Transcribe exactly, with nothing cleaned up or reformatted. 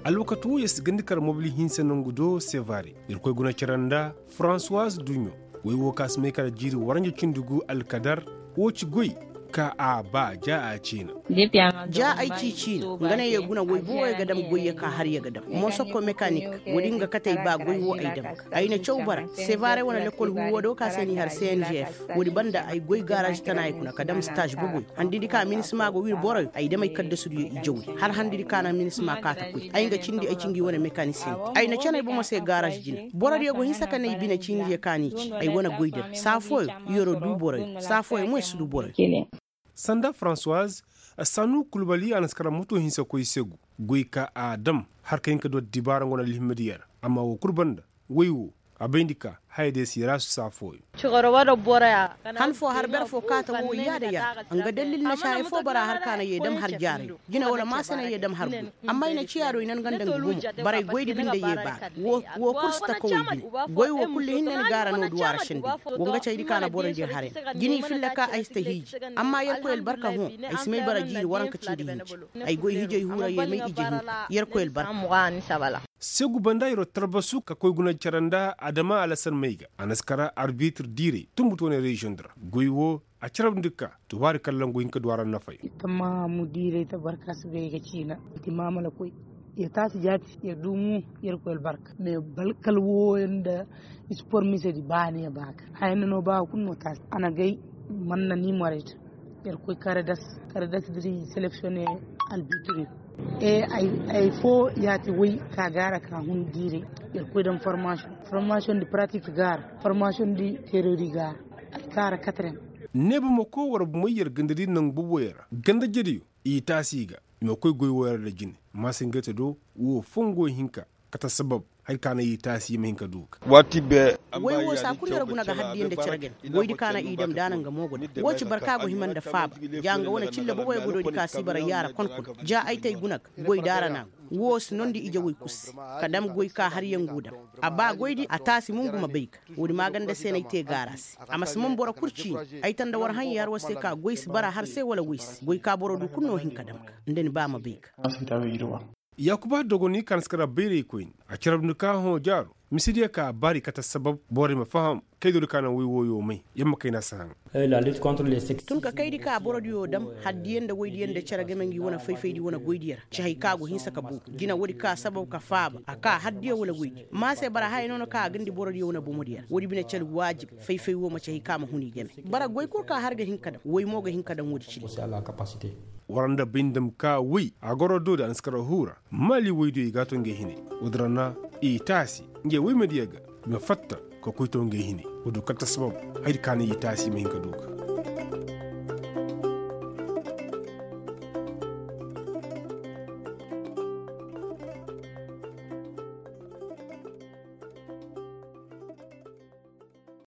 Alwakati woo yer si gandi kar mobili hinsa nongu do sevare. Irkoy guna cere nda fransuwaz duɲo. Woy woo ka si may kala jiiri waranja cindi gu alkadar. Woo ci goy ka a ba ja a ciina. Ja ay ci ciina nga ne yer guna woy booboyo ga dam goyyo ka har yer ga dam mosoko mekanik. Woodi nga kate ay ba goy woo ay dam ga ay na caw bara sevare wane lekkol huuwo do ka se n'i har cngf. Woodi banda ay goy garaaz tanaayey kuna ka dam staaz boboyo handidi ka minisima go wir boroyo ay dam ay kaddasudiyo i jawri hala handidi ka na minisima kaa ta koy ay nga cindi ay ci ngi wane mekanisiyente ay na canay bomo se garaaz jine. Borodiyo go hinsa ka ne i bine ciinidiyo ka n'i ci ay wane goydi ra saa fooyo. Yer'o duu boroyo saa fooyo mo yer si duu boroyo. Sanda fransuwaz, sanu kulbali a na si kara moto hinsa koy segu goy ka a dam har ka hin ka du addibaara nga wane alhimmidiyo ra. Amma woo kul banda woy woo a bayndi ka hayadiyo si raasu saa fooyo. Han foo har ber foo kaata woo yaada yaada nga dallil na ci haya foo bara har ka na yee dam har jaarayo jine wala maase na yee dam har goy. Amma i na ciya do i nan ganda nga gumo. Baray goydi binde yee baa ga woo kul si ta kawey bine. Goy woo kullu hinne ni gaara no duw'a ra sendey. Woo nga caydi ka na borodiyo har yaŋ jine i filla ka ay si ta hiiji. Amma yerkoy albarka hõ ay si may bara jiiri waranka cindi hinja. Ay goy hijay huura yee may ije hinka yerkoy albarka. Segu banda yer'o talbasu ka koy guna cere nda adama alasan may ga a na si kara arbitir diiray tunbutu wane reziyoŋ di ra. Goy woo a carabndi ka tubaari kallangu hin ka du a ra nafay. Tammahamu diiray tabarka si bay ga ciina. Iti maamala koy yer taasi jaati yer duu mo. Yerkoy albarka me balkal wooyo nda ispor misedi baaniya baa ga haya nda no baa ga kul no taasi a na gay. Man na ni morayta yer koy karadas karadas diri seleksiyone. Albitiri e ay foo yaati woy ka gaara ka hun diire. Yer koy daŋ formasiyoŋ formasiyoŋ di pratiki gaara formasiyoŋ di terori gaara. Ay kaara katrem. Neeba ma koo war bumey yer gandadi naŋ boboyo ra ganda jediyo i taasi ga. I ma koy goy wooyo ra da jine maasingayta do woo fongo hinka. Kate sabab hari ka na i taasi i ma hin ka du ga. Woy woo saa kul yer guna ga haddiyaŋ nda cere game goydi ka na i dam daana nga mo go dam woo ci barka go hima nda faaba. Ja nga wane cille boboyo go doodi ka si bara yaara konkon ja ay tay guna ga goy daara na go woo si nondi ije woy kul se. Ka dam goy ka har yaŋ go dam a ba goydi a taasi mo ngu ma bay ga. Woodi maaganda se no ay te gaara se a ma si man boro kul ciini. Ay ta nda war haŋ yaara war se ka goy si bara har se wala woy se goy ka boro du kul no hin ka dam ga nda ni ba ma bay ga. Yaakuba dogoni ka na si kara bayraykoyni a carabndi ka hõ jaaro. Misidiyo ka a baari kate sabab borey ma faham kaydoodi ka naŋ woy wooyo may yer ma kayna si haŋ. Tun ka kaydi ka borodiyo dam haddiyaŋ nda woydiyaŋ nda cere game ngi wane fayfaydi wane goydiyo ra ci hay ka go hinsa ka boobo jina woodi ka sabab ka faaba a ka haddiyaŋ wala woydi ma se bara haya no na ka a gandi borodiyo wane bomodiyo ra woodi bine cere waajib. Fayfay woo ma ci hay ka ma hun i game. Bara goy kul ka har ga hin ka dam woy mo ga hin ka dam woodi cindi. War nda bay nda ma ka woy a goro doodi a na si kara huura. Maali woydiyo i g'a to ngey hinay. Woodi ra na i taasi ngey woymediyo ga i ma fatta ka koy to ngey hinay. Woodi kate sabab hayadi ka na i taasi i ma hin ka du ga.